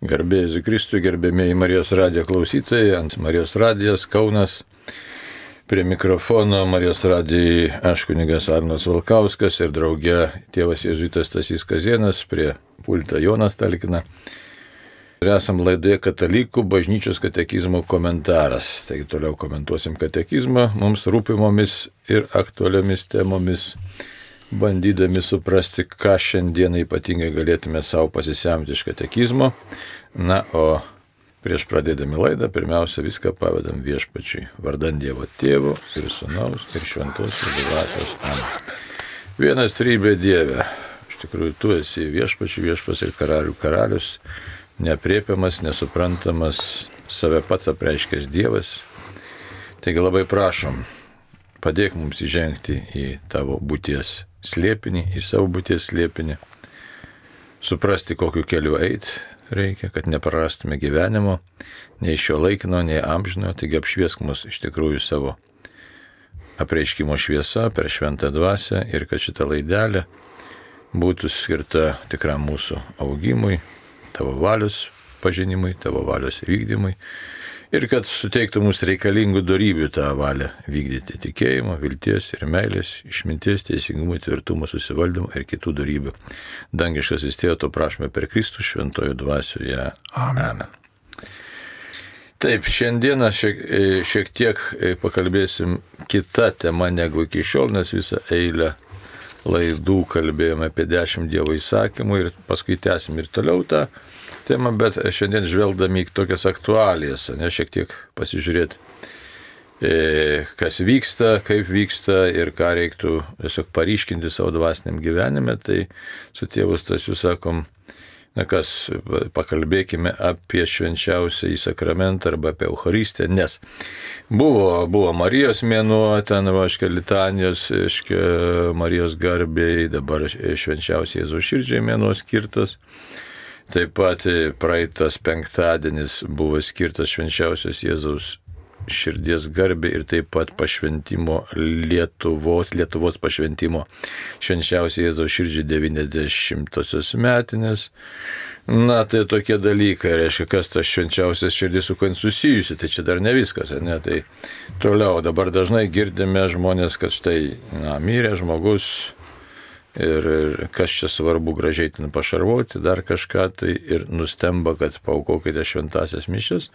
Garbė Jėzui Kristui, gerbėmieji Marijos radijo klausytojai, ant Marijos radijos Kaunas. Prie mikrofono Marijos radijai aš kunigas Arnas Valkauskas ir drauge tėvas jėzuitas Stasys Kazėnas, prie pulto Jonas Talkina. Ir esam laidoje Katalikų bažnyčios katekizmo komentaras. Taigi toliau komentuosim katekizmą mums rūpimomis ir aktualiomis temomis, bandydami suprasti, ką šiandieną ypatingai galėtume savo pasisemti iš katekizmo. Na, o prieš pradėdami laidą, pirmiausia, viską pavedam Viešpačiui, vardan Dievo Tėvo ir Sūnaus ir Šventosios Dvasios. Amen. Vienas trybė Dieve. Iš tikrųjų, tu esi Viešpačių viešpas ir karalių karalius, neaprėpiamas, nesuprantamas, save pats apreiškęs Dievas. Taigi labai prašom, padėk mums įžengti į tavo būties slėpinį, į savo būties slėpinį, suprasti, kokiu keliu eiti reikia, kad neprarastume gyvenimo, nei šio laikino, nei amžino, taigi apšviesk mus iš tikrųjų savo apreiškimo šviesa per šventą dvasią ir kad šita laidelė būtų skirta tikram mūsų augimui, tavo valios pažinimui, tavo valios vykdymui ir kad suteiktų mums reikalingų dorybių tą valią vykdyti tikėjimo, vilties ir meilės, išminties, teisingumo, tvirtumo, susivaldymo ir kitų dorybių. Dangiškasis Tėve, to prašome per Kristų šventojo dvasioje. Amen. Taip, šiandieną šiek tiek pakalbėsim kitą temą negu iki šiol, nes visą eilę laidų kalbėjome apie 10 Dievo įsakymų ir paskui tęsim ir toliau tą temą, bet šiandien žvelgdami į tokias aktualijas, šiek tiek pasižiūrėti, kas vyksta, kaip vyksta ir ką reiktų tiesiog paryškinti savo dvasiniam gyvenime, tai su tėvu Stasiu sakom, pakalbėkime apie švenčiausią į sakramentą arba apie Eucharistiją, nes buvo Marijos mėnuo, ten litanijos, Marijos garbei, dabar švenčiausiai Jėzaus širdžiai mėnuo skirtas. Taip pat praeitas penktadienis buvo skirtas švenčiausios Jėzaus širdies garbė ir taip pat pašventimo Lietuvos pašventimo švenčiausiai Jėzaus širdžiai 90-osios metinės. Na, tai tokie dalykai, reiškia, kas tas švenčiausias širdis su kuo susijusi, tai čia dar ne viskas, ne, tai toliau dabar dažnai girdime žmonės, kad štai, mirė žmogus, ir kas čia svarbu gražiai ten pašarvoti, dar kažką, tai ir nustemba, kad paaukokite šventasias mišias,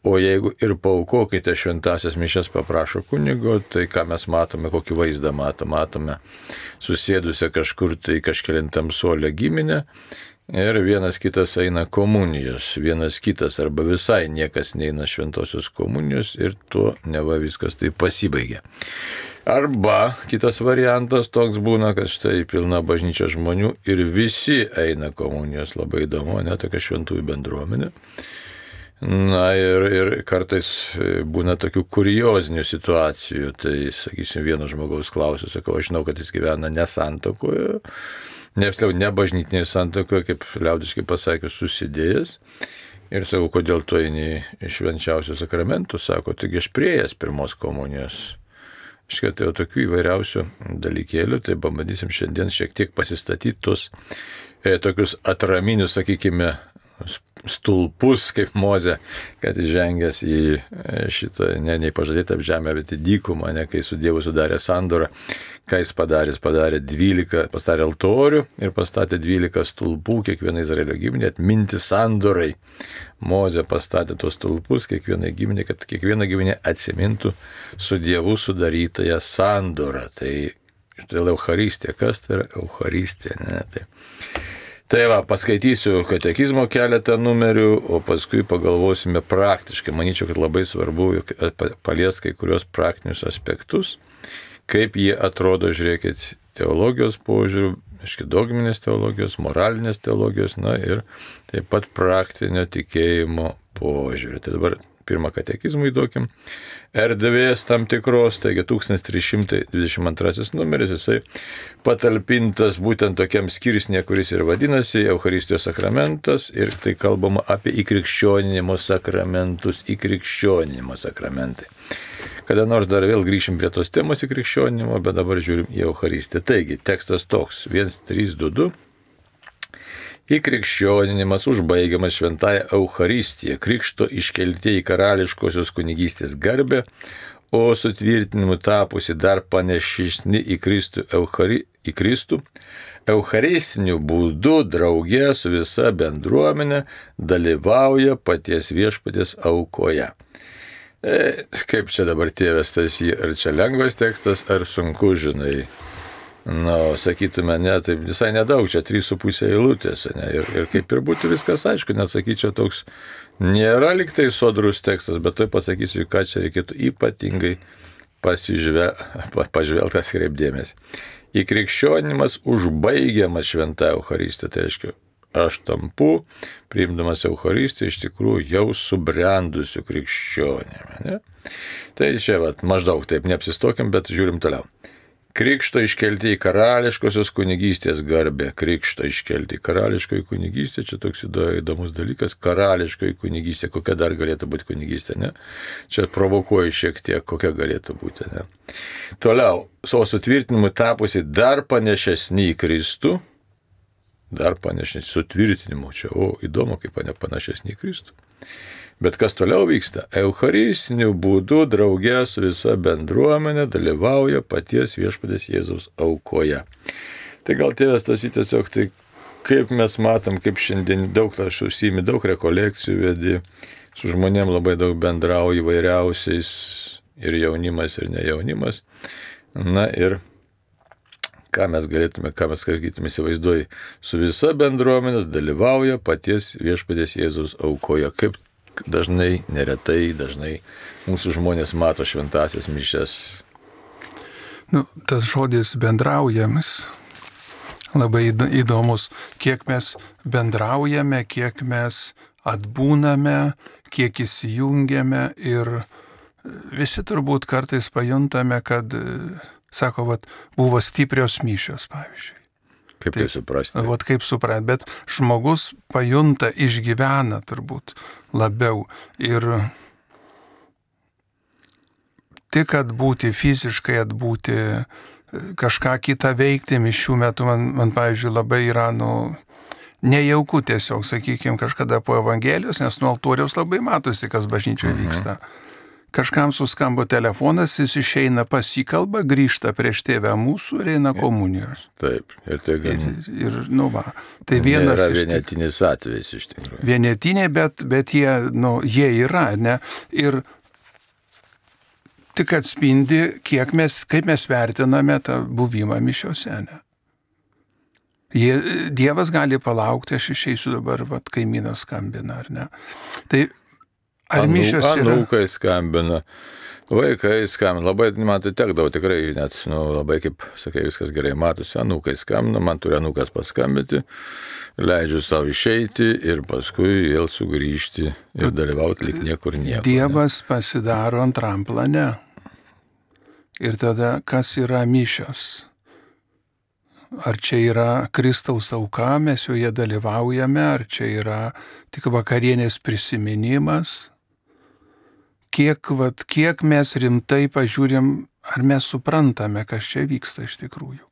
o jeigu ir paaukokite šventasias mišias paprašo kunigo, tai ką mes matome, kokį vaizdą matome susėdusią kažkur tai kažkelintam suolę giminę ir vienas kitas eina komunijos, vienas kitas arba visai niekas neina šventosios komunijos ir tuo neva viskas tai pasibaigia. Arba kitas variantas toks būna, kad štai pilna bažnyčia žmonių ir visi eina komunijos, labai įdomu, tokia šventųjų bendruomenė. Na ir kartais būna tokių kuriozinių situacijų, tai sakysim, vieno žmogaus klausiu, sakau, aš žinau, kad jis gyvena nesantuokoje, ne bažnytinėje santuokoje, kaip liaudiškai pasakius, susidėjęs. Ir sakau, kodėl tu eini iš švenčiausių sakramentų, sako, taigi aš priėjęs pirmos komunijos. Tai jau tokių įvairiausių dalykėlių, tai pabandysim šiandien šiek tiek pasistatyti tuos tokius atraminius, sakykime, stulpus kaip Mozė, kad įžengęs į šitą, nei pažadėtą žemę, bet į dykumą, kai su Dievu sudarė sandorą, ką jis padarė? Jis pastatė altorių ir pastatė 12 stulpų, kiekviena Izraelio giminė atminti sandorai. Mozė pastatė tos stulpus kiekvienai giminė, kad kiekviena giminė atsimintų su Dievu sudarytąją sandorą. Tai Eucharistija, kas tai yra Eucharistija? Tai va, paskaitysiu katekizmo keletą numerių, o paskui pagalvosime praktiškai. Manyčiau, kad labai svarbu paliesti kai kurios praktinius aspektus, kaip jie atrodo, žiūrėkit, teologijos požiūrių, dogminės teologijos, moralinės teologijos, na ir taip pat praktinio tikėjimo požiūrį. Tai dabar pirmą katekizmą įduokim. Erdvės tam tikros, taigi 1322 numeris, jisai patalpintas būtent tokiam skirsnė, kuris ir vadinasi Eucharistijos sakramentas, ir tai kalbama apie įkrikščioninimo sakramentus, įkrikščioninimo sakramentai. Kada nors dar vėl grįšim prie tos temos įkrikščioninimo, bet dabar žiūrim į Eucharistiją. Taigi, tekstas toks, 1322. Įkrikščioninimas užbaigiamas šventąją Eucharistiją, krikšto iškelti į karališkosios kunigystės garbę, o sutvirtinimu tapusi dar panašesni į Kristų, eucharistiniu būdu draugė su visa bendruomenė dalyvauja paties viešpaties aukoje. Kaip čia dabar tėvas Stasy, ar čia lengvas tekstas, ar sunku, žinai? Sakytume, ne, tai visai nedaug, čia 3,5 eilutės, ne, ir kaip ir būtų viskas aišku, net sakyčiau, toks nėra liktai sodrus tekstas, bet tai pasakysiu, ką čia reikėtų ypatingai pažvelgti, atkreipdėmėsi. Įkrikščionimas užbaigiamas šventąją Eucharistiją, tai reiškia, aš tampu, priimdamas Eucharistiją, iš tikrųjų jau subrendusiu krikščionimi. Ne? Tai čia maždaug taip neapsistokim, bet žiūrim toliau. Krikšto iškelti į karališkosios kunigystės garbę. Krikšto iškelti į karališkoji kunigystė, čia toks įdomus dalykas. Karališkoji kunigystė, kokia dar galėtų būti kunigystė, ne? Čia provokuoju šiek tiek, kokia galėtų būti, ne? Toliau, savo sutvirtinimu tapusi dar panašesni į Kristų. Dar panašesni, sutvirtinimu. Čia, įdomu, kaip panašesni į Kristų. Bet kas toliau vyksta? Eucharistiniu būdu draugė su visa bendruomenė dalyvauja paties viešpaties Jėzaus aukoje. Tai gal tėvas Stasy tiesiog, tai kaip mes matom, kaip šiandien daug aš užsiimi, daug rekolekcijų vedi, su žmonėm labai daug bendrauju įvairiausiais, ir jaunimas, ir nejaunimas. Na ir ką mes sakytume, įsivaizduoji, su visa bendruomenė dalyvauja paties viešpaties Jėzaus aukoje. Kaip dažnai, neretai, dažnai mūsų žmonės mato šventąsias mišias. Tas žodis bendraujamas labai įdomus. Kiek mes bendraujame, kiek mes atbūname, kiek įsijungiame ir visi turbūt kartais pajuntame, kad, sako, buvo stiprios mišios, pavyzdžiui. Kaip tai suprasti? Kaip suprasti, bet žmogus pajunta, išgyvena turbūt labiau. Ir tik atbūti, fiziškai atbūti, kažką kitą veikti mišių metu, man pavyzdžiui, labai yra, nejauku tiesiog, sakykime, kažkada po Evangelijos, nes nuo altoriaus labai matosi, kas bažnyčioje vyksta. Kažkam suskambo telefonas, jis išeina, pasikalba, grįžta prieš tėvę mūsų ir eina komunijos. Taip, ir tai Tai vienas yra vienetinis atvejis iš tikrųjų. Vienetiniai, bet jie yra, ne? Ir tik atspindi, kaip mes vertiname tą buvimą mišiose, ne? Dievas gali palaukti, aš išeisiu dabar, kaimynas skambina, ar ne? Tai ar mišios yra? Anūkai skambina, vaikai skambina, labai man tai tekdavo tikrai, net, labai kaip sakai, viskas gerai matosi, anūkai skambina, man turi anūkas paskambinti, leidžiu savo išeiti ir paskui vėl sugrįžti ir dalyvauti lyg niekur nieko. Dievas pasidaro antram plane. Ir tada, kas yra mišios? Ar čia yra Kristaus auka, mes joje dalyvaujame, ar čia yra tik vakarienės prisiminimas? Kiek mes rimtai pažiūrim, ar mes suprantame, kas čia vyksta iš tikrųjų?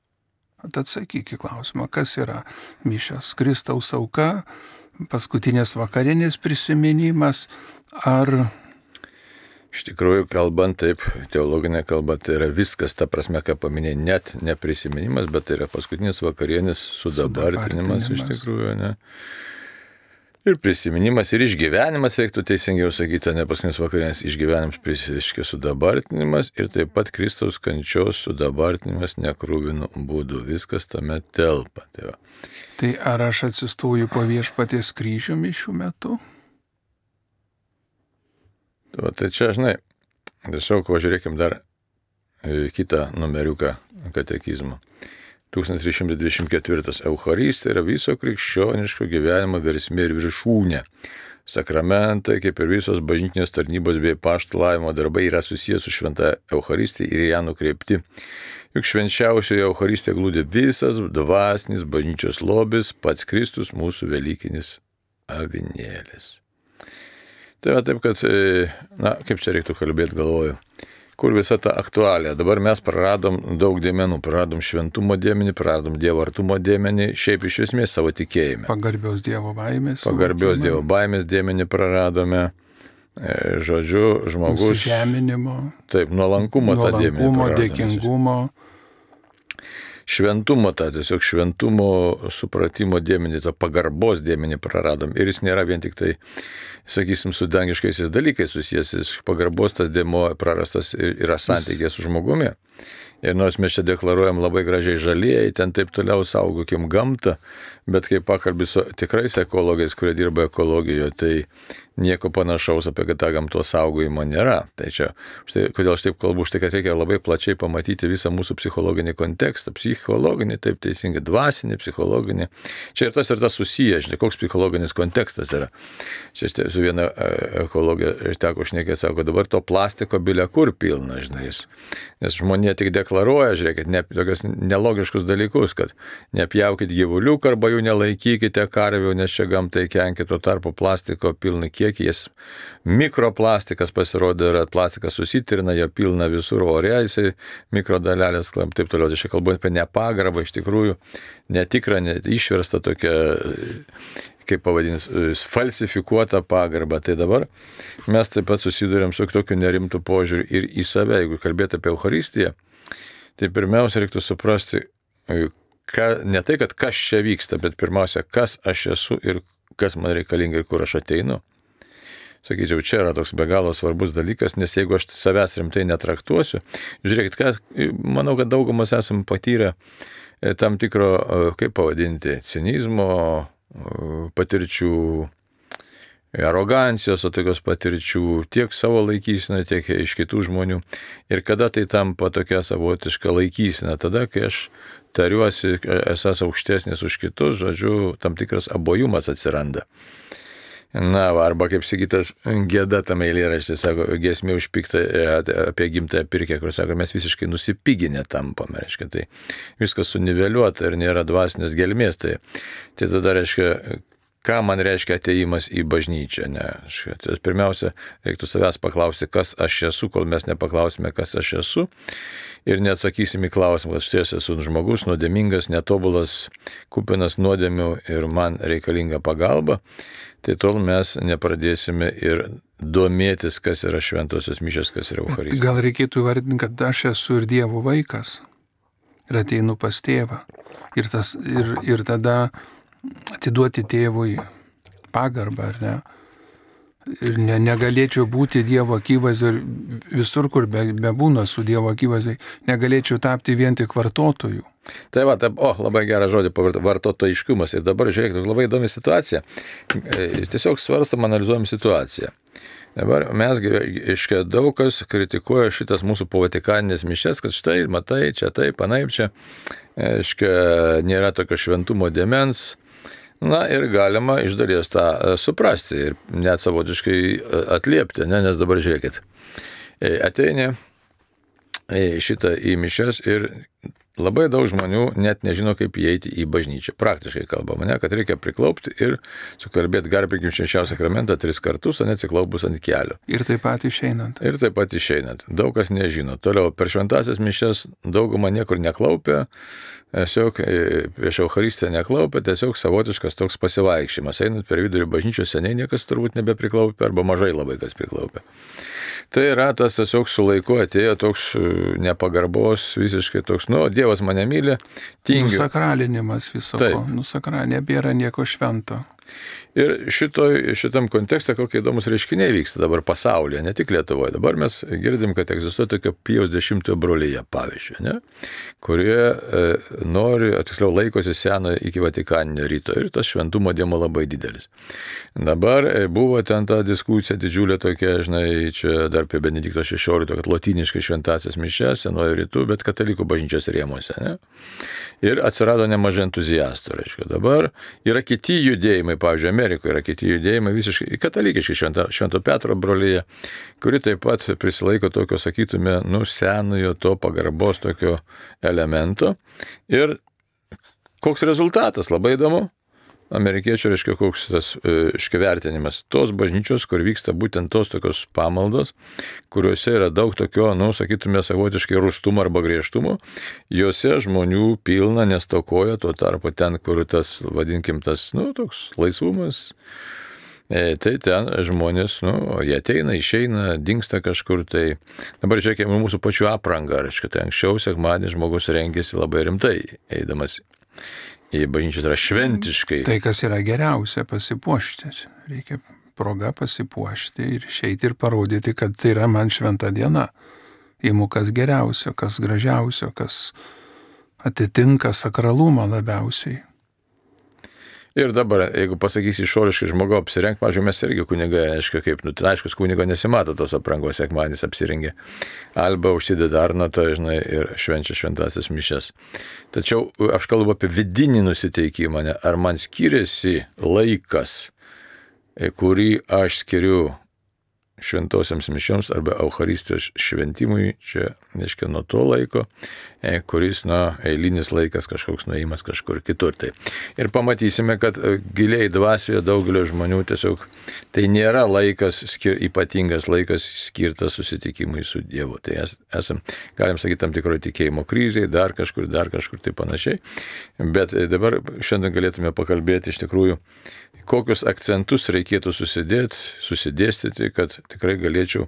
Tad atsakyk į klausimą, kas yra mišios? Kristaus auka, paskutinės vakarienės prisiminimas, ar... Iš tikrųjų, kalbant taip, teologinė kalba, tai yra viskas, ta prasme, ką paminėjai, net ne prisiminimas, bet tai yra paskutinis vakarienės sudabartinimas iš tikrųjų, ne? Ir prisiminimas, ir išgyvenimas, reiktų teisingiau sakyti, ne paskutinis vakarienės išgyvenimas, sudabartinimas, ir taip pat Kristaus kančios sudabartinimas nekrūvinu būdu. Viskas tame telpa. Tai ar aš atsistoju po viešpaties kryžių mišių metu? Tai čia, žinai, tiesiog pažiūrėkim dar kitą numeriuką katekizmo. 1324. Eucharistija yra viso krikščioniško gyvenimo versmė ir viršūnė. Sakramentai, kaip ir visos bažnytinės tarnybos bei apaštalavimo darbai, yra susijęs su šventa Eucharistija ir ją nukreipti. Juk švenčiausioje Eucharistijoje glūdi visas dvasinis bažnyčios lobis, pats Kristus, mūsų velykinis avinėlis. Tai va taip, kad, kaip čia reiktų kalbėti, galvoju. kur visa ta aktualija. Dabar mes praradom daug dėmenų, praradom šventumo dėmenį, praradom Dievo artumo dėmenį, šiaip iš esmės savo tikėjime. Pagarbios Dievo baimės. Pagarbios Dievo baimės dėmenį praradome. Žodžiu, žmogus. Žeminimo. Taip, nuolankumo tą dėmenį. Nuolankumo, dėkingumo. Šventumo, tą tiesiog šventumo supratimo dėmenį, tą pagarbos dėmenį praradom. Ir jis nėra vien tik tai, sakysim, su dangiškaisiais dalykais susijęs. Pagarbos tas dėmuo prarastas yra santykė su žmogumi. Ir nors mes čia deklaruojam labai gražiai žalieji, ten taip toliau saugokim gamtą, bet kai pakalbį su tikrais ekologais, kurie dirba ekologijoje, tai nieko panašaus apie tą gamtos saugojimą nėra. Tai čia, štai, kodėl aš taip kalbu, štai kad reikia labai plačiai pamatyti visą mūsų psichologinį kontekstą. Psichologinį, taip teisingai, dvasinį, psichologinį. Čia ir tas susiję, žinai, koks psichologinis kontekstas yra. Čia su viena ekologija teko šnekėti, sako, dabar to plastiko bilia kur pilna, žinai. Nes žmonė tik deklaruoja, žiūrėkit, tokius nelogiškus dalykus, kad nepjaukit gyvuliukų arba jų nelaikykite karvių, nes čia gamtai kenkia, tuo tarpu plastiko pilna kiekį, jis mikroplastikas pasirodo, yra plastikas susitirina, jo pilna visur ore, jisai mikrodalelės, taip toliau. Tai čia kalbu apie nepagarbą, iš tikrųjų netikrą, išversta tokia, kaip pavadins, falsifikuota pagarba. Tai dabar mes taip pat susidurėm su tokiu nerimtu požiūriu ir į save. Jeigu kalbėti apie Eucharistiją, tai pirmiausia reiktų suprasti, ne tai, kad kas čia vyksta, bet pirmiausia, kas aš esu ir kas man reikalinga ir kur aš ateinu. Sakyčiau, čia yra toks be galo svarbus dalykas, nes jeigu aš savęs rimtai netraktuosiu, žiūrėkit, manau, kad daugumas esam patyrę tam tikro, kaip pavadinti, cinizmo, patirčių, arogancijos, o tokios patirčių tiek savo laikysena, tiek iš kitų žmonių. Ir kada tai tampa tokia savotiška laikysena? Tada, kai aš tariuosi, esas aukštesnis už kitus, žodžiu, tam tikras abojumas atsiranda. Na, arba kaip sakytas, Gėda tame eilėraštyje, sako, giesmė užpikta apie gimtąją pirkę, kur sako, mes visiškai nusipiginę tampame, reiškia, tai viskas suniveliuota ir nėra dvasinės gelmės, tai tada, reiškia, ką man reiškia atėjimas į bažnyčią, ne? Pirmiausia, reiktų savęs paklausti, kas aš esu, kol mes nepaklausime, kas aš esu, ir neatsakysim į klausimą, kad štai esu žmogus, nuodėmingas, netobulas, kupinas nuodėmių ir man reikalinga pagalba, tai tol mes nepradėsime ir domėtis, kas yra šventosios mišios, kas yra Eucharistija. Gal reikėtų įvardinti, kad aš esu ir Dievo vaikas ir ateinu pas tėvą. Ir tada atiduoti tėvui pagarbą, ar ne? Ir negalėčiau būti Dievo akivaizdoj ir visur, kur bebūna su Dievo akivaizdoj, negalėčiau tapti vien tik vartotojų. Tai va, labai gerą žodį, vartotojiškumas. Ir dabar žiūrėkit, labai įdomi situacija. Tiesiog svarstam, analizuojam situaciją. Dabar mes, iškia, daug kas kritikuoja šitas mūsų povatikaninės mišias, kad štai, matai, čia taip, anaip čia, iškia, nėra tokio šventumo dėmens. Na ir galima iš dalies tą suprasti ir net savotiškai atliepti, ne? Nes dabar žiūrėkit, ateini šitą į mišias ir labai daug žmonių net nežino, kaip įeiti į bažnyčią. Praktiškai kalbama, ne, kad reikia priklaupti ir sukalbėti garbinkim švenčiausią sakramentą 3 kartus, o neatsiklaupus ant kelio. Ir taip pat išeinant. Daug kas nežino. Toliau, per šventąsias mišias dauguma niekur neklaupia, tiesiog prieš Eucharistiją neklaupia, tiesiog savotiškas toks pasivaikščiojimas. Einant per vidurį bažnyčios seniai niekas turbūt nebepriklaupia, arba mažai labai kas priklaupia. Tai yra tas tiesiog su laiku atėjo toks nepagarbos, visiškai toks, Dievas mane myli, tingiu. Nusakralinimas viso ko. Nebėra nieko švento. Ir šitam kontekste kokie įdomus reiškiniai vyksta dabar pasaulyje, ne tik Lietuvoje. Dabar mes girdim, kad egzistuoja tokia Pijaus X brolija, pavyzdžiui, ne? Kurie tiksliau laikosi seno iki Vatikaninio ryto ir tas šventumo dėmuo labai didelis. Dabar buvo ten ta diskusija didžiulė tokia, žinai, čia dar apie Benedikto XVI, kad lotyniškai šventąsias mišias senojo rytų, bet katalikų bažnyčios rėmuose, ne? Ir atsirado nemažai entuziastų, reiškia. Dabar yra kiti judėjimai, pavyzdžiui, Amerikoje yra kiti judėjimai visiškai katalikiški, Švento Petro brolija, kuri taip pat prisilaiko tokio, sakytume, senojo to pagarbos tokio elemento. Ir koks rezultatas, labai įdomu, amerikiečių, reiškia, koks tas vertinimas. Tos bažnyčios, kur vyksta būtent tos tokios pamaldos, kuriuose yra daug tokio, sakytume, savotiškai rūstumo arba griežtumo, juose žmonių pilna, nestokoja, tuo tarpu ten, kur tas, vadinkim, tas, toks laisvumas, tai ten žmonės, jie ateina, išeina, dingsta kažkur, tai dabar žiūrėkime mūsų pačių aprangą, reiškia, tai anksčiau sekmadienį žmogus rengėsi labai rimtai, eidamas į bažnyčias yra šventiškai. Tai, kas yra geriausia, pasipuošti. Reikia proga pasipuošti ir išeiti ir parodyti, kad tai yra man šventa diena. Įmu kas geriausio, kas gražiausio, kas atitinka sakralumą labiausiai. Ir dabar, jeigu pasakysi išoriškai žmogų apsirengt, pavyzdžiui, mes irgi kunigai, reiškia, kaip, aiškus kunigo nesimato tos aprangos, sekmadienis apsirengė. Alba užsideda arnatą, žinai, ir švenčia šventasis mišias. Tačiau aš kalbu apie vidinį nusiteikimą, ne? Ar man skiriasi laikas, kurį aš skiriu šventosiams mišioms arba Eucharistijos šventimui, čia, reiškia, nuo to laiko, kuris, eilinis laikas kažkoks nuėjimas kažkur kitur. Tai. Ir pamatysime, kad giliai dvasioje daugelio žmonių tiesiog tai nėra laikas, ypatingas laikas skirtas susitikimui su Dievu. Tai esam, galim sakyti, tam tikroje tikėjimo krizėje, dar kažkur tai panašiai. Bet dabar šiandien galėtume pakalbėti iš tikrųjų, kokius akcentus reikėtų susidėstyti, kad tikrai galėčiau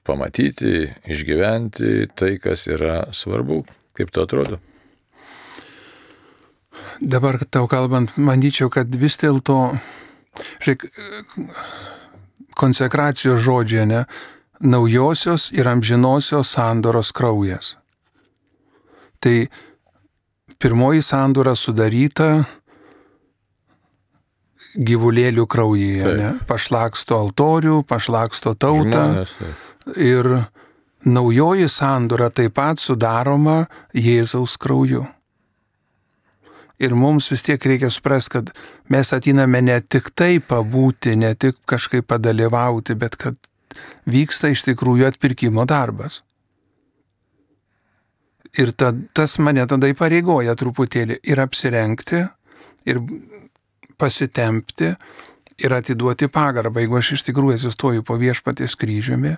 pamatyti, išgyventi tai, kas yra svarbu. Kaip to atrodo? Dabar tau kalbant, manyčiau, kad vis dėlto, konsekracijos žodžiai, ne, naujosios ir amžinosios sandoros kraujas. Tai pirmoji sandora sudaryta gyvulėlių kraujyje, ne? Pašlaksto altorių, pašlaksto tautą. Žmonės, ir naujoji sandora taip pat sudaroma Jėzaus krauju. Ir mums vis tiek reikia suprasti, kad mes ateiname ne tik tai pabūti, ne tik kažkaip padalyvauti, bet kad vyksta iš tikrųjų atpirkimo darbas. Ir tas mane tada įpareigoja truputėlį ir apsirengti, ir pasitempti ir atiduoti pagarbą. Jeigu aš iš tikrųjų atsistoju po Viešpaties kryžiumi,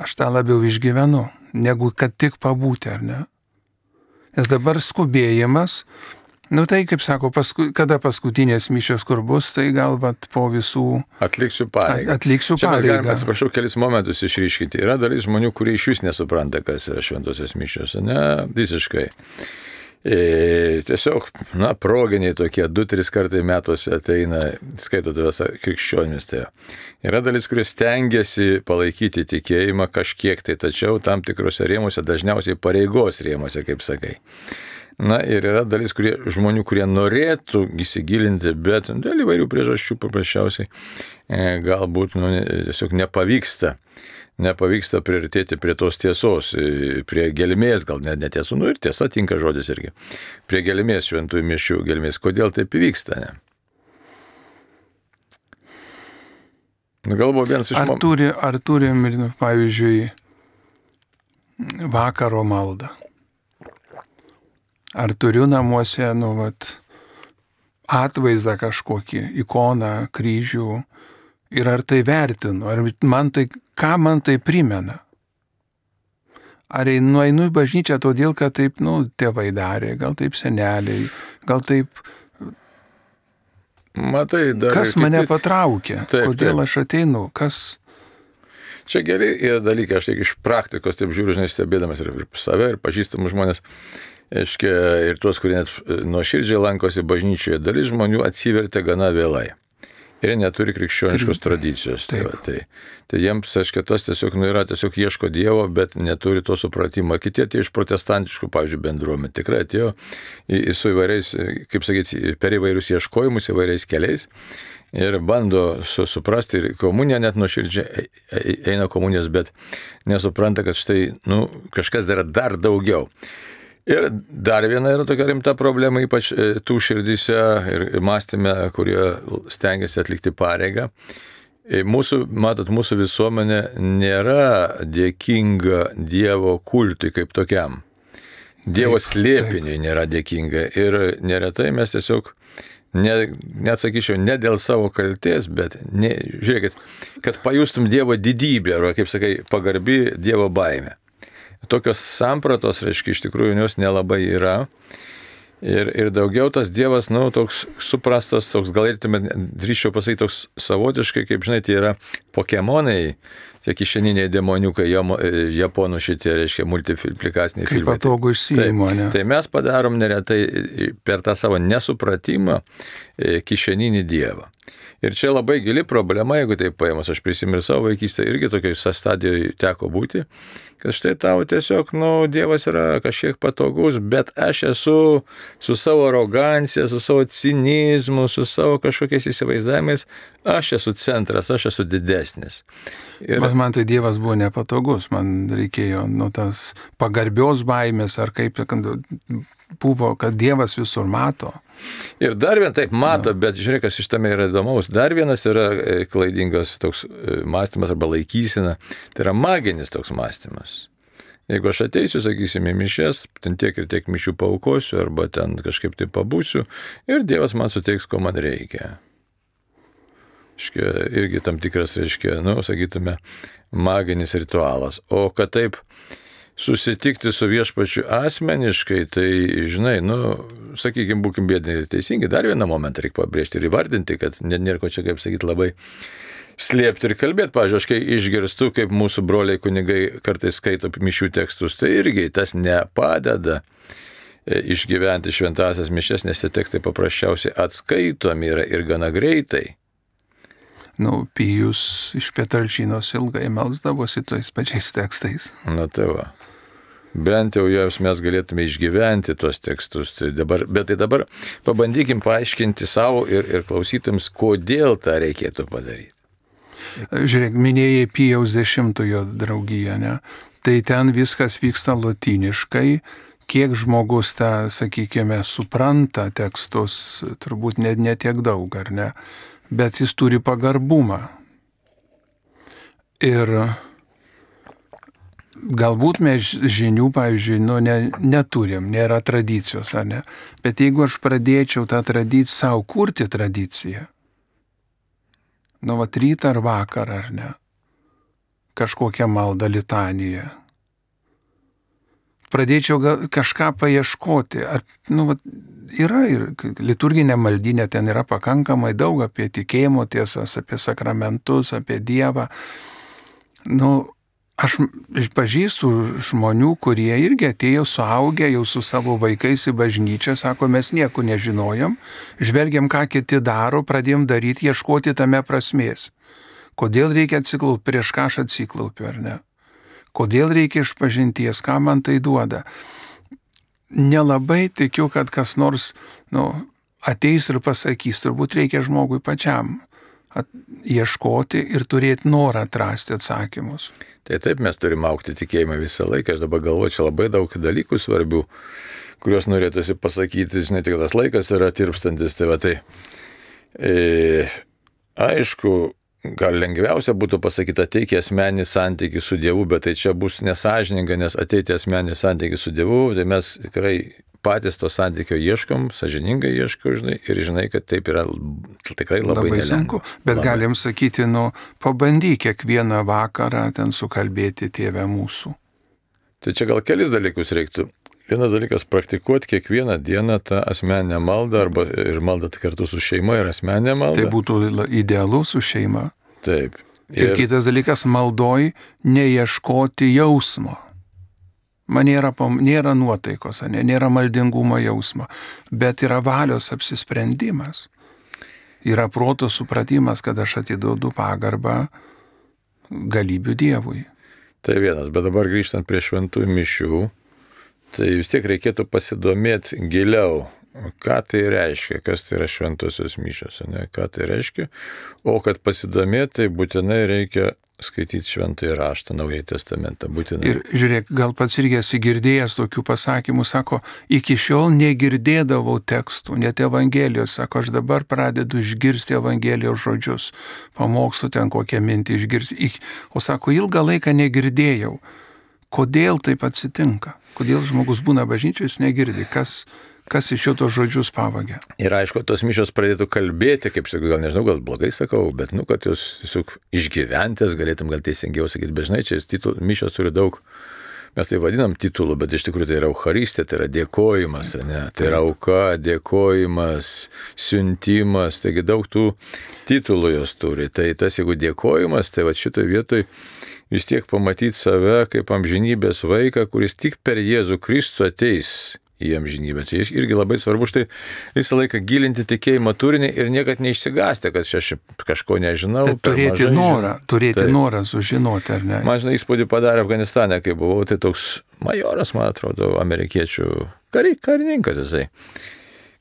aš tą labiau išgyvenu, negu kad tik pabūti, ar ne? Nes dabar skubėjimas, tai kaip sako, kada paskutinės mišios kur bus, tai gal po visų... Atliksiu pareigą. Čia mes galime, atsiprašau, kelis momentus išryškinti. Yra dalis žmonių, kurie iš vis nesupranta, kas yra šventosios mišios, ne? Visiškai. Tiesiog, proginiai tokie, 2-3 kartai metuose ateina, skaito tavęs krikščionis. Tai yra dalis, kurie stengiasi palaikyti tikėjimą kažkiek tai, tačiau tam tikrose rėmuose, dažniausiai pareigos rėmuose, kaip sakai. Ir yra dalis žmonių, kurie norėtų įsigilinti, bet dėl įvairių priežasčių paprasčiausiai galbūt tiesiog nepavyksta priartėti prie tos tiesos, prie gelmės, gal net netiesų, ir tiesa tinka žodis irgi, prie gelmės šventųjų mišių gelmės. Kodėl taip įvyksta, ne? Galbūt vienas iš Ar turim, pavyzdžiui, vakaro maldą? Ar turiu namuose, atvaizdą kažkokį, ikoną, kryžių, ir ar tai vertinu, ką man tai primena? Ar nueinu į bažnyčią todėl, kad taip, tėvai darė, gal taip seneliai, gal taip... Matai, kas mane patraukė? Kodėl aš ateinu? Kas... Čia geri yra dalykai, aš tik iš praktikos taip žiūriu, stebėdamas ir save, ir pažįstamus žmonės, ir tuos, kurie net nuoširdžiai lankosi bažnyčioje, dalis žmonių atsivertė gana vėlai. Ir jie neturi krikščioniškos tradicijos. Tai jiems, tas tiesiog yra, tiesiog ieško Dievo, bet neturi to supratimo. Kiti atėjo iš protestantiškų, pavyzdžiui, bendruomenių. Tikrai atėjo su įvairiais, kaip sakyti, per įvairius ieškojimus, įvairiais keliais. Ir bando suprasti, ir komunija net nuoširdžiai eina komunijos, bet nesupranta, kad štai, kažkas dar daugiau. Ir dar viena yra tokia rimta problema, ypač tų širdyse ir mąstyme, kurie stengiasi atlikti pareigą. Mūsų visuomenė nėra dėkinga Dievo kultui kaip tokiam. Dievo slėpiniui nėra dėkinga. Ir neretai mes tiesiog net sakyčiau, ne dėl savo kaltės, bet žiūrėkit, kad pajustum Dievo didybę, arba, kaip sakai, pagarbi Dievo baimė. Tokios sampratos, reiškia, iš tikrųjų jos nelabai yra. Ir daugiau tas Dievas, toks suprastas, toks galėtume, drįsčiau pasakyti, toks savotiškai, kaip žinai, tai yra pokemonai, tie kišeniniai demoniukai, japonų šitie, reiškia, multiplikaciniai filmai. Kaip patogu išsiimo, ne? Tai mes padarom neretai per tą savo nesupratimą kišeninį Dievą. Ir čia labai gili problema, jeigu tai paėmus, aš prisimenu savo vaikystę, irgi tokioj stadijoje teko būti, kad štai tau tiesiog, Dievas yra kažkiek patogus, bet aš esu su savo arogancija, su savo cinizmu, su savo kažkokiais įsivaizdavimais, aš esu centras, aš esu didesnis. Bet man tai Dievas buvo nepatogus, man reikėjo tas pagarbios baimės, ar kaip buvo, kad Dievas visur mato. Ir dar vienas taip mato, bet žiūrėk, kas iš tame yra įdomaus. Dar vienas yra klaidingas toks mąstymas arba laikysena, tai yra maginis toks mąstymas. Jeigu aš ateisiu, sakysim, į mišes, ten tiek ir tiek mišių paaukosiu, arba ten kažkaip tai pabūsiu, ir Dievas man suteiks, ko man reikia. Irgi tam tikras, reiškia, sakytume, maginis ritualas. O kad taip susitikti su Viešpačiu asmeniškai, tai, žinai, sakykime, būkim biedni ir teisingi, dar vieną momentą reikia pabrėžti ir įvardinti, kad nėra ko čia, kaip sakyti, labai slėpti ir kalbėti. Pavyzdžiui, aš kai išgirstu, kaip mūsų broliai kunigai kartais skaito mišių tekstus, tai irgi tas nepadeda išgyventi šventąsias mišias, nes tie tekstai paprasčiausiai atskaitomi yra ir gana greitai. Pijus iš Petralčinos ilgai melsdavosi tais pačiais tekstais. Tai va. Bent jau mes galėtume išgyventi tuos tekstus. Bet dabar pabandykim paaiškinti savo ir klausytams, kodėl tą reikėtų padaryti. Žiūrėk, minėjai Pijaus 10-ojo draugiją, ne? Tai ten viskas vyksta lotyniškai. Kiek žmogus tą, sakykime, supranta tekstus, turbūt ne tiek daug, ar ne? Bet jis turi pagarbumą. Ir galbūt mes žinių, pavyzdžiui, neturim, nėra tradicijos, ar ne? Bet jeigu aš pradėčiau tą tradiciją, savo kurti tradiciją, rytą ar vakarą, ar ne? Kažkokią maldą, litaniją. Pradėčiau kažką paieškoti. Yra ir liturginė maldynė, ten yra pakankamai daug apie tikėjimo tiesas, apie sakramentus, apie Dievą. Aš pažįstu žmonių, kurie irgi atėjo suaugę jau su savo vaikais į bažnyčią, sako, mes nieko nežinojom, žvelgiam, ką kiti daro, pradėjom daryti, ieškoti tame prasmės. Kodėl reikia atsiklaupti, prieš ką aš atsiklaupiu, ar ne? Kodėl reikia išpažinties, ką man tai duoda? Nelabai tikiu, kad kas nors ateis ir pasakys, turbūt reikia žmogui pačiam ieškoti ir turėti norą atrasti atsakymus. Tai taip, mes turime augti tikėjimą visą laiką. Aš dabar galvoju, čia labai daug dalykų svarbių, kuriuos norėtųsi pasakyti, žinai, tik tas laikas yra tirpstantis. Aišku, gal lengviausia būtų pasakyti, ateik į asmeninį santykį su Dievu, bet tai čia bus nesąžininga, nes ateiti į asmeninį santykį su Dievu, tai mes tikrai patys to santykio ieškom, sąžiningai ieškom, žinai, ir žinai, kad taip yra tikrai labai sunku. Bet labai. Galim sakyti, pabandyk kiekvieną vakarą ten sukalbėti Tėve mūsų. Tai čia gal kelis dalykus reiktų. Vienas dalykas, praktikuoti kiekvieną dieną tą asmeninę maldą, arba ir maldą kartu su šeima ir asmeninę maldą. Tai būtų idealu su šeima. Taip. Ir kitas dalykas, maldoj neieškoti jausmo. Man nėra nuotaikos, nėra maldingumo jausmo, bet yra valios apsisprendimas. Yra proto supratimas, kad aš atiduodu pagarbą galybių Dievui. Tai vienas, bet dabar grįžtant prie šventųjų mišių, tai vis tiek reikėtų pasidomėti giliau, ką tai reiškia, kas tai yra šventosios mišios, ką tai reiškia, o kad pasidomėti, tai būtinai reikia skaityti šventąjį raštą, Naująjį testamentą, būtinai. Ir žiūrėk, gal pats irgi esi girdėjęs tokių pasakymų, sako, iki šiol negirdėdavau tekstų, net Evangelijos, sako, aš dabar pradedu išgirsti Evangelijos žodžius, pamokslų ten kokią mintį išgirsti, o sako, ilgą laiką negirdėjau. Kodėl taip atsitinka? Kodėl žmogus būna bažnyčioj, jis negirdi? Kas kas iš šitos žodžius pavagia. Ir aišku, tos mišios pradėtų kalbėti, kaip sakau, gal nežinau, gal blogai sakau, bet, kad jūs tiesiog išgyventės, galėtum gal teisingiau sakyti, bet žinai, čia mišios turi daug, mes tai vadinam titulų, bet iš tikrųjų tai yra Eucharistija, tai yra dėkojimas, ne? Tai yra auka, dėkojimas, siuntimas, taigi daug tų titulų jos turi. Tai tas, jeigu dėkojimas, tai va šitoje vietoje vis tiek pamatyti save kaip amžinybės vaiką, kuris tik per Jėzų Kristų ateis į amžinybę. Tai irgi labai svarbu štai visą laiką gilinti tikėjimo turinį ir niekad neišsigąsti, kad aš kažko nežinau. Turėti norą sužinoti, ar ne? Man žinai, įspūdį padarė Afganistane, kai buvau, tai toks majoras, man atrodo, amerikiečių karininkas jisai.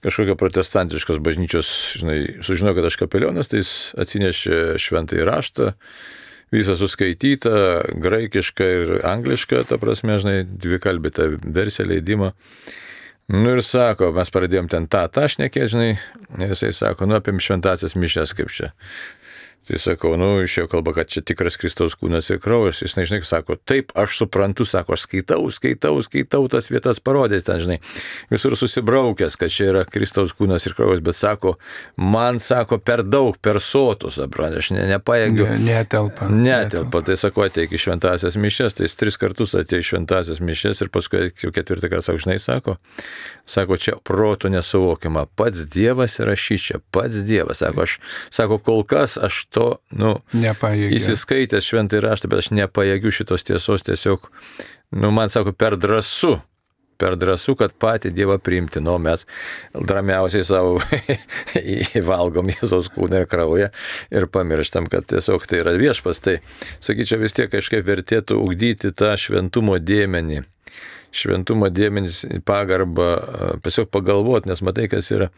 Kažkokia protestantiškos bažnyčios, žinai, sužinojo, kad aš kapelionas, tai jis atsinešė šventąjį raštą, visą suskaitytą, graikišką ir anglišką, ta prasme, žinai, dvikalbį tą versiją leidimą. Ir sako, mes pradėjom ten tą šnekėti, žinai, ir jisai sako, apim šventasias mišias kaip čia. Tai sakau, išėjo kalba, kad čia tikras Kristaus kūnas ir kraujas. Jis, žinai, sako, taip, aš suprantu, sako, aš skaitau tas vietas parodės ten, žinai, visur susibraukęs, kad čia yra Kristaus kūnas ir kraujas, bet sako, man, sako, per daug, per sotus, suprantu, aš nepajėgiu. Netelpa. Tai sako, ateik į šventasias mišias, tai jis 3 kartus atėjo į šventasias mišias ir paskui jau 4 kartą, sako, žinai, sako, čia protų nesuvokiama, pats Dievas yra šičia, pats Dievas, sako, kol kas aš to, įsiskaitęs šventąjį raštą, bet aš nepajėgiu šitos tiesos tiesiog, man sako, per drąsu, kad patį Dievą priimti, mes dramiausiai savo valgom Jėzaus kūną ir kraują ir pamirštam, kad tiesiog tai yra viešpas, tai sakyčiau vis tiek kažkaip vertėtų ugdyti tą šventumo dėmenį. Šventumo dėmenys pagarbą, tiesiog pagalvoti, nes matai, kas yra.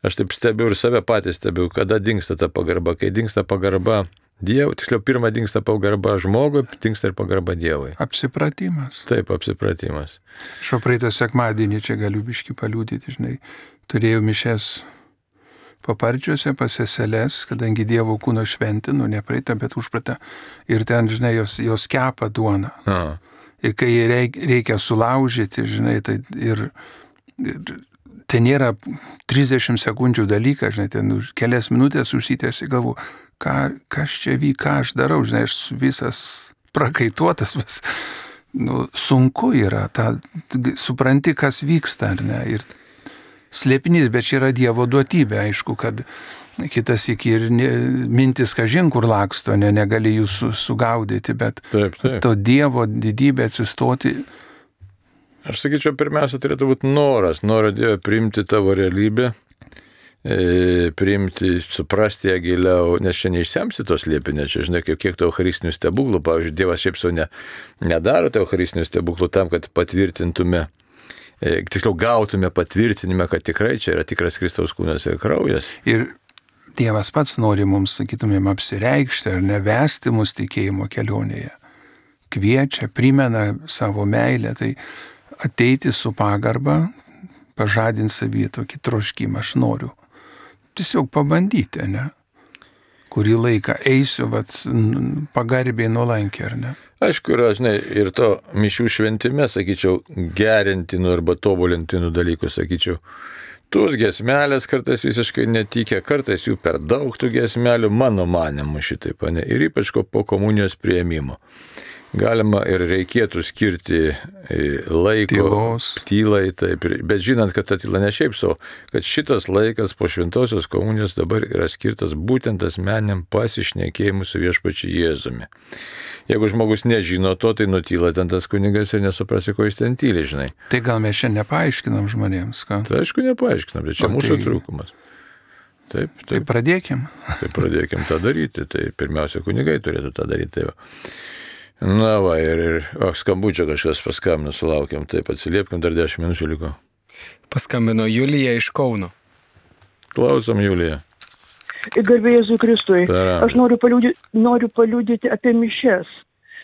Aš taip stebiu ir save patys stebiu, kada dingsta ta pagarba. Kai dingsta pagarba Dievui, tiksliau pirmą dingsta pagarba žmogui, dingsta ir pagarba Dievui. Apsipratimas. Taip, apsipratimas. Aš praeitą sekmadienį čia galiu biškį paliudyti, žinai, turėjau mišias Paparčiuose pas seseles, kadangi Dievo kūno šventė, ne praeitą, bet užpratą, ir ten, žinai, jos kepa duoną. Ir kai reikia sulaužyti, žinai, tai ir tai nėra 30 sekundžių dalykas, žinai, ten kelias minutės užsitęsi, galvu, kas čia vyk, ką aš darau, žinai, aš visas prakaituotas, bet sunku yra, supranti, kas vyksta, ar ne, ir slėpinys, bet čia yra Dievo duotybė, aišku, kad kitas iki ir mintis kažin kur laksto, negali jų sugaudyti, bet taip. To Dievo didybė atsistoti. Aš sakyčiau, pirmiausia, turėtų būti noras Dievo priimti tavo realybę, priimti, suprasti ją giliau, nes čia neišsemsi tos liepinės, čia žinai, kiek to eucharistinių stebuklų, pavyzdžiui, Dievas šiaip savo nedaro to eucharistinių stebuklų tam, kad patvirtintume, tiksliau gautume patvirtinimą, kad tikrai čia yra tikras Kristaus kūnas ir kraujas. Ir Dievas pats nori mums, sakytumėm, apsireikšti ar nevesti mus tikėjimo kelionėje. Kviečia, primena savo meilę, tai ateiti su pagarba, pažadinti savyje tokį troškimą, aš noriu. Tiesiog pabandyti, ne? Kurį laiką eisiu, pagarbiai nuolankiai, ar ne? Aišku, yra, žinai, ir to mišių šventime, sakyčiau, gerintinų arba tobulintinų dalykų, sakyčiau, tos giesmelės kartais visiškai netikė, kartais jų per daug tų giesmelių, mano manimu šitaip, ne, ir ypač po komunijos priėmimo. Galima ir reikėtų skirti laiko tylai, taip, bet žinant, kad ta tyla ne šiaip savo, kad šitas laikas po šventosios komunijos dabar yra skirtas būtent asmeniniam pasišnekėjimui su viešpačiu Jėzumi. Jeigu žmogus nežino to, tai nutyla ten tas kunigas ir nesuprasi, ko jis ten tyli, žinai. Tai gal mes čia nepaaiškinam žmonėms, ką? Tai aišku, nepaaiškinam, bet čia mūsų trūkumas. Taip. Tai pradėkim. Tai pradėkim tą daryti, tai pirmiausia, kunigai turėtų tą daryti. Tai na va, ir skambučio kažkas paskambino, sulaukėm, taip atsiliepkim, dar 10 minučių liko. Paskambino Julija iš Kauno. Klausom, Julija. Garbė Jėzui Kristui. Aš noriu paliudyti apie mišias.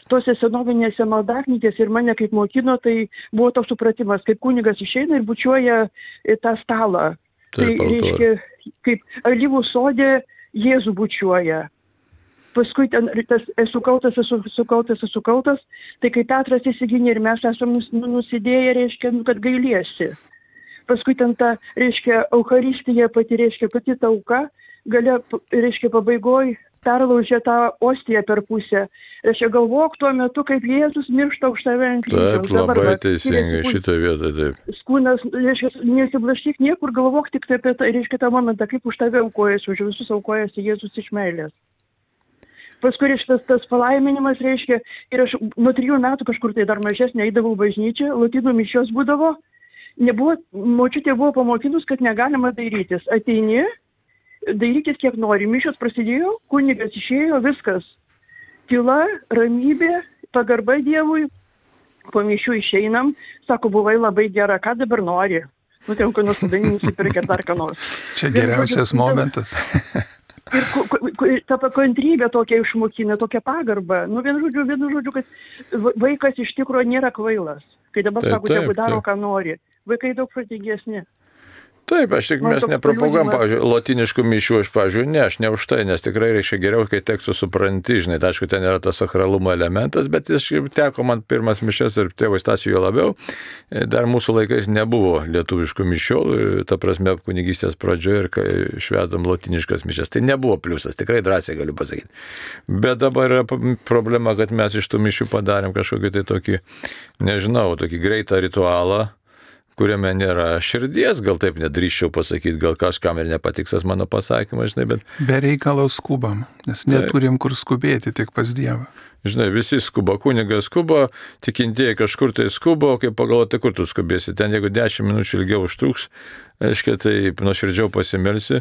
Tose senovinėse maldaknytėse ir mane kaip mokino, tai buvo toks supratimas, kaip kunigas išeina ir bučiuoja tą stalą. Taip, tai reiškia, kaip alyvų sode Jėzų bučiuoja. Paskui ten tas esu kaltas, tai kai Petras įsigynė ir mes esame nusidėję, reiškia, kad gailiesi. paskui ten ta, reiškia, Eucharistija pati, reiškia, pati ta auka, galia, reiškia, pabaigoj perlaužė tą ostiją per pusę. Reiškia, galvok tuo metu, kaip Jėzus miršta už tave ant kryžiaus. Taip, labai teisingai, šitą vietą, taip. Kūnas, reiškia, nesiblaškyk niekur, galvok tik apie tai, reiškia, tą momentą, kaip už tave aukojasi, už visus aukojasi Jėzus iš meilės. Paskui tas palaiminimas, reiškia, ir aš nuo 3 metų kažkur tai dar mažesnė eidavau bažnyčią, lotynų mišios būdavo, močiutė buvo pamokinus, kad negalima dairytis. Ateini, dairykis kiek nori, mišios prasidėjo, kunigas išėjo, viskas. Tyla, ramybė, pagarba Dievui, po mišių išeinam, sako, buvai labai gera, ką dabar nori? Nu, ten, kai nusidani, nusipirkė dar ką nors. Čia geriausias momentas. Ir ta kantrybė tokia išmokina, tokia pagarba. Nu, vienu žodžiu, kad vaikas iš tikrųjų nėra kvailas. Kai dabar sako, tegu daro, ką nori. Vaikai daug protingesni. Taip, mes nepropaguojam, pavyzdžiui, lotiniškų mišių, aš ne už tai, nes tikrai reiškia geriau, kai tekstų supranti, žinai, tai aišku, ten yra tas sakralumo elementas, bet jis teko man pirmas mišias ir tėvo Stasiui jo labiau, dar mūsų laikais nebuvo lietuviškų mišių, ta prasme, kunigystės pradžioje ir švęsdam lotiniškas mišias, tai nebuvo pliusas, tikrai drąsiai galiu pasakyti. Bet dabar yra problema, kad mes iš tų mišių padarėm kažkokį tai tokį, nežinau, tokį greitą ritualą, kuriame nėra širdies, gal taip nedrįščiau pasakyti, gal kažkam ir nepatiksas mano pasakymas, žinai, bet... Be reikalo skubam, nes neturim kur skubėti, tik pas Dievą. Žinai, visi skuba, kunigas skuba, tikintieji kažkur tai skuba, o kai pagalvoti, kur tu skubėsi, ten jeigu 10 minučių ilgiau užtruks, aiškiai, tai nuoširdžiau pasimelsi,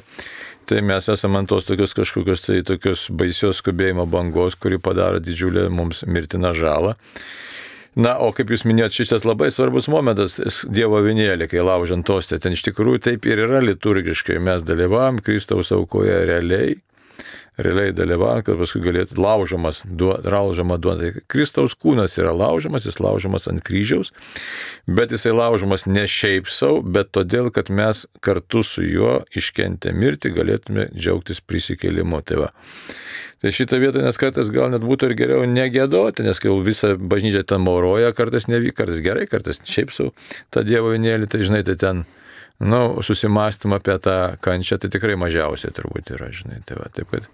tai mes esame ant tos kažkokios tai tokios baisios skubėjimo bangos, kuri padaro didžiulę mums mirtiną žalą. Na, o kaip jūs minėjot, šitas labai svarbus momentas, Dievo avinėlį, kai laužant ostę, ten iš tikrųjų taip ir yra liturgiškai, mes dalyvavom Kristaus aukoje realiai dalyvavom, kad paskui galėtų laužama duona. Kristaus kūnas yra laužamas, jis laužamas ant kryžiaus, bet jisai laužamas ne šiaip savo, bet todėl, kad mes kartu su juo iškentę mirtį galėtume džiaugtis prisikėlimu. Tai šitą vietą net kartais gal net būtų ir geriau negėdoti, nes kai visą bažnyčią ten mauroja, kartais gerai, kartais šiaip savo tą Dievo avinėlį, tai žinai, tai ten, susimąstymą apie tą kančią, tai tikrai mažiausiai turbūt yra, žinai. Taip kad,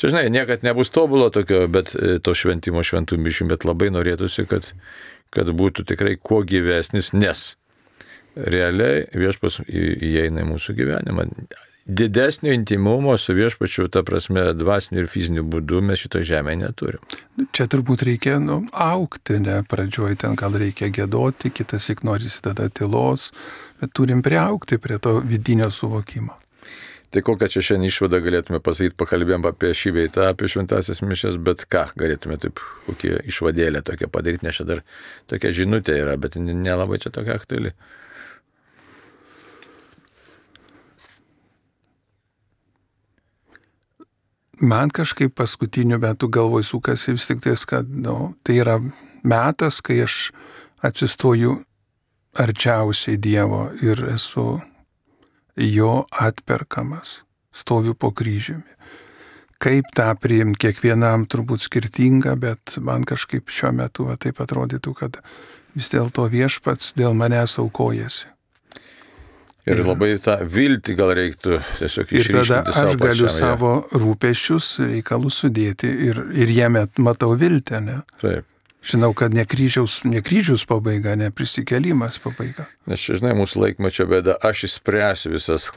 čia, žinai, niekad nebus tobulo tokio, bet to šventimo šventų mišių, bet labai norėtųsi, kad būtų tikrai kuo gyvesnis, nes realiai viešpats įeina į mūsų gyvenimą. Didesnio intimumo su viešpačiu, ta prasme, dvasiniu ir fiziniu būdu mes šito žemėje neturim. Čia turbūt reikia augti, ne? Pradžioj ten gal reikia gėdoti, kitas ik norisi tada tylos, bet turim priaugti prie to vidinio suvokimo. Tai kokią čia šiandien išvadą galėtume pasakyti, pakalbėjom apie šį veitą, apie šventąsias mišias, bet ką galėtume taip, kokie išvadėlę tokią padaryti, nes čia dar tokia žinutė yra, bet nelabai čia tokia aktuali. Man kažkaip paskutiniu metu galvoj sukasi vis tik tais, kad tai yra metas, kai aš atsistoju arčiausiai Dievo ir esu jo atperkamas, stoviu po kryžiumi. Kaip tą priimti kiekvienam turbūt skirtinga, bet man kažkaip šiuo metu taip atrodytų, kad vis dėlto viešpats dėl manęs aukojasi. Ir labai tą viltį gal reiktų tiesiog išryškinti savo pačiam. Ir tada aš galiu savo rūpesčius, reikalus sudėti ir jame matau viltį, ne? Taip. Žinau, kad ne kryžiaus pabaiga, ne prisikėlimas pabaiga. Nes čia, žinai, mūsų laikmečio bėda, aš išspręsiu visas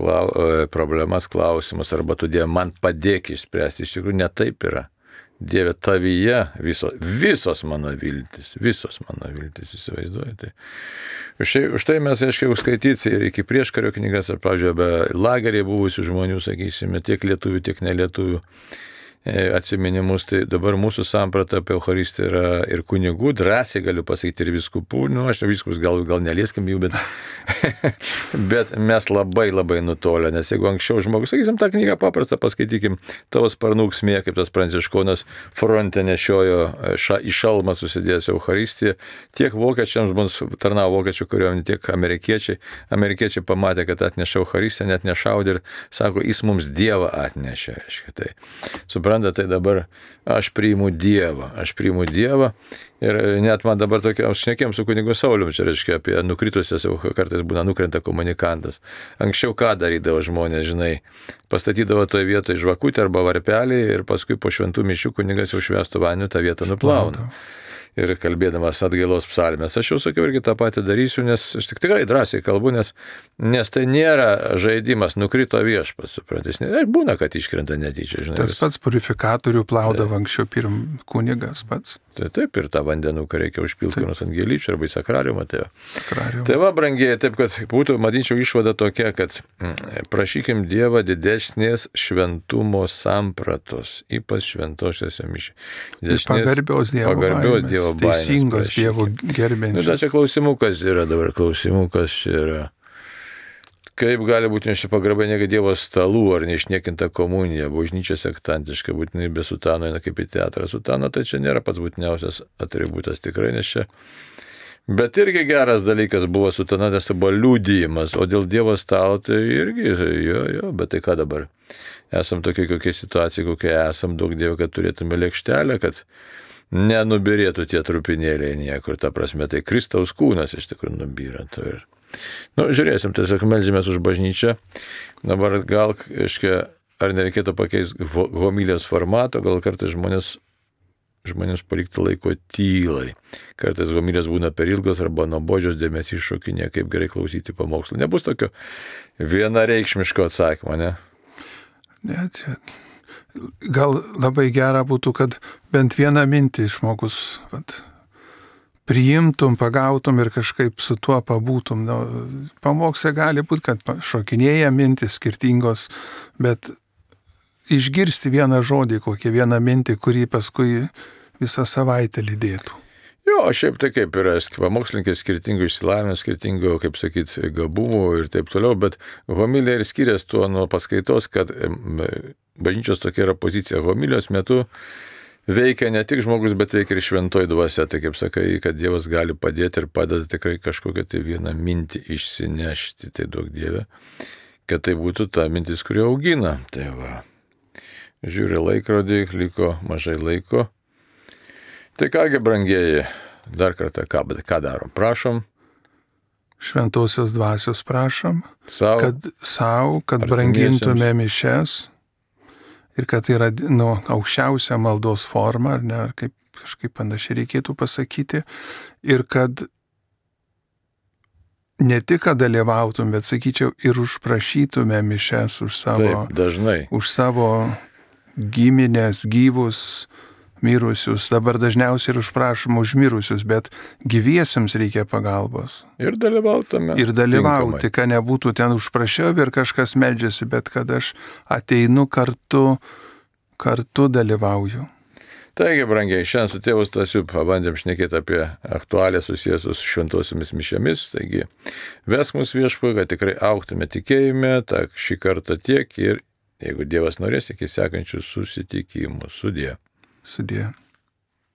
problemas, klausimus, arba tu Dieve man padėk išspręsti. Iš tikrųjų, ne taip yra. Dieve, tavyje visos mano viltis, įsivaizduoju. Tai. Už tai mes, aiškiai, skaityti ir iki prieškario knygas, ar, pavyzdžiui, be lagerį buvusių žmonių, sakysime, tiek lietuvių, tiek nelietuvių atsiminimus, tai dabar mūsų samprata apie Eucharistiją yra ir kunigų, drąsiai galiu pasakyti, ir viskupų, aš viskus gal nelieskim jų, bet mes labai nutolę, nes jeigu anksčiau žmogus, sakysim, tą knygą paprastą paskaitykim, tavo sparnų ūksmė, kaip tas Pranciškonas fronte nešiojo į šalmą susidėjęs Eucharistiją, tiek vokiečiams mums tarnavo vokiečių kariuomenė, tiek amerikiečiai pamatė, kad atnešė Eucharistiją, net nešaudė ir sako, jis mums Dievą atnešė, reiškia. Tai Suprantate, tai dabar aš priimu Dievą. Ir net man dabar tokia, aš šnekėjom su kunigu Sauliumi, čia reiškia apie nukritusias, kartais būna nukrenta komunikantas. Anksčiau ką darydavo žmonės, žinai, pastatydavo toje vietoje žvakutę arba varpelį ir paskui po šventų mišių kunigas jau švęstų vandeniu tą vietą nuplauna. Ir kalbėdamas atgailos psalmės, aš jau sakiau irgi tą patį darysiu, nes aš tikrai drąsiai kalbu, nes tai nėra žaidimas, nukrito Viešpats, suprantis. Būna, kad iškrenta netyčia, žinai. Tas pats purifikatorių plaudavo anksčiau kunigas pats. Taip, ir tą vandenuką reikia užpilti nors ant gėlyčių arba į sakrariumą. Tai va, brangieji, taip, kad būtų, matyčiau, išvada tokia, kad prašykim Dievą didesnės šventumo sampratos, ypač šventosiuose mišiuose. Pagarbios Dievo baimės, teisingos Dievo gerbėjimas. Čia klausimukas yra. Kaip gali būti nešti pagarba negi Dievo stalų ar neišniekinta komunija, bažnyčia sektantiška, būtinai be sutano eina kaip į teatrą. Sutano tai čia nėra pats būtiniausias atributas tikrai, nes čia. Bet irgi geras dalykas buvo sutana, nes tai buvo liudijimas, o dėl Dievo stalo tai irgi, bet tai ką dabar? Esam tokie kokie situacijai, kokie esam, daug Dievo, kad turėtume lėkštelę, kad nenubirėtų tie trupinėliai niekur, ta prasme, tai Kristaus kūnas iš tikrųjų nubyra. Žiūrėsim, tiesiog meldžiamės už bažnyčią. Dabar gal, ar nereikėtų pakeisti homilijos formato, gal kartais žmonėms palikti laiko tylai. Kartais homilijos būna per ilgos arba nuobodžios, dėmesys šokinė, kaip gerai klausyti pamokslų. Nebus tokio vienareikšmiško atsakymo, ne? Ne, čia. Gal labai gera būtų, kad bent vieną mintį žmogus priimtum, pagautum ir kažkaip su tuo pabūtum. Pamokslė gali būti, kad šokinėja mintis skirtingos, bet išgirsti vieną žodį, kokią vieną mintį, kurį paskui visą savaitę lydėtų. Šiaip tai kaip yra, pamokslininkai skirtingų išsilavinimų, skirtingų, kaip sakyti, gabumų ir taip toliau, bet homilija ir skiriasi tuo nuo paskaitos, kad bažnyčios tokia yra pozicija. Homilijos metu veikia ne tik žmogus, bet veikia ir šventoji dvasia. Tai kaip sakai, kad Dievas gali padėti ir padeda tikrai kažkokią tai vieną mintį išsinešti. Tai duok Dieve, kad tai būtų ta mintis, kuri augina. Tai va, žiūri laikrodį, liko mažai laiko. Tai kągi, brangieji, dar kartą ką darom? Prašom. Šventosios dvasios prašom, kad brangintume mišias. Ir kad tai yra aukščiausia maldos forma, ar ne, ar kažkaip panašiai reikėtų pasakyti. Ir kad ne tik, kad dalyvautum, bet, sakyčiau, ir užprašytume mišias už savo giminės, gyvus, mirusius. Dabar dažniausiai ir užprašom už mirusius, bet gyviesiems reikia pagalbos. Ir dalyvautume. Ir dalyvauti, kad nebūtų ten užprašiau ir kažkas meldžiasi, bet kad aš ateinu kartu dalyvauju. Taigi, brangiai, šiandien su tėvu Stasiu pabandėm šnekėti apie aktualią susijęs su šventosiomis mišiomis. Taigi, vesk mus Viešpatie, kad tikrai augtume tikėjime, tak šį kartą tiek ir, jeigu Dievas norės, iki sekančių susitikimų. Sudie.